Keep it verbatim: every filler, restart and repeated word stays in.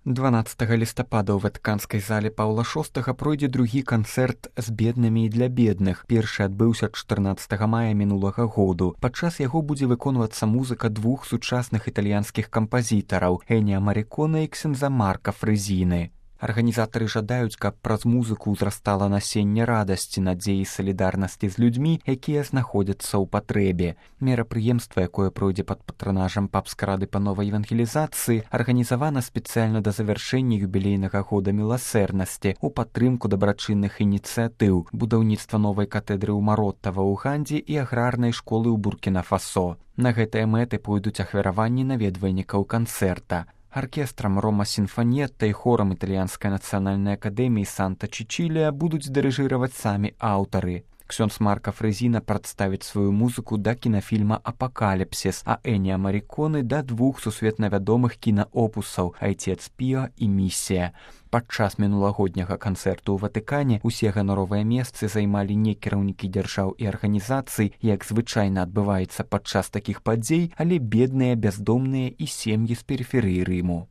дванаццатага лістапада ў ватыканскай зале Паўла шостага пройдзе другі канцэрт з беднымі і для бедных. Першы адбыўся чатырнаццатага мая мінулага году. Падчас яго будзе выконвацца музыка двух сучасных італьянскіх кампазітараў Эніа Маріконе і ксяндза Марка Фрэзіны. Арганізатары жадаюць, каб праз музыку ўзрастала насенне радасці, надзеі і салідарнасці з людзьмі, якія знаходзяцца ў патрэбе. Мерапрыемства, якое пройдзе пад патранажам папскай рады па новай евангелізацыі, арганізавана спецыяльна да завяршэння юбілейнага года міласэрнасці у падтрымку дабрачынных ініцыятыў, будаўніцтва новай катэдры ў Маротта ва Уганде і аграрнай школы ў Буркіна-Фасо. На гэтыя мэты пойдуць ахвяраванні наведвальнікаў канцэрта. Аркестрам Рома Сінфанетта і хорам італьянскай нацыянальнай акадэміі Санта-Чичілія будуць дырыжыраваць самі аўтары. Ксёндз Марка Фрэзіна прадставіць сваю музыку да кінафільма «Апакаліпсіс», а Эніа Маріконе да двух сусветна вядомых кінаопусаў «Айцец Піо» і «Місія». Падчас мінулагодняга канцэрту ў Ватыкане усе ганаровыя месцы займалі не кіраўнікі дзяржаў і арганізацый, як звычайна адбываецца падчас такіх падзей, але бедныя, бяздомныя і сем'і з перыферыі Рыму.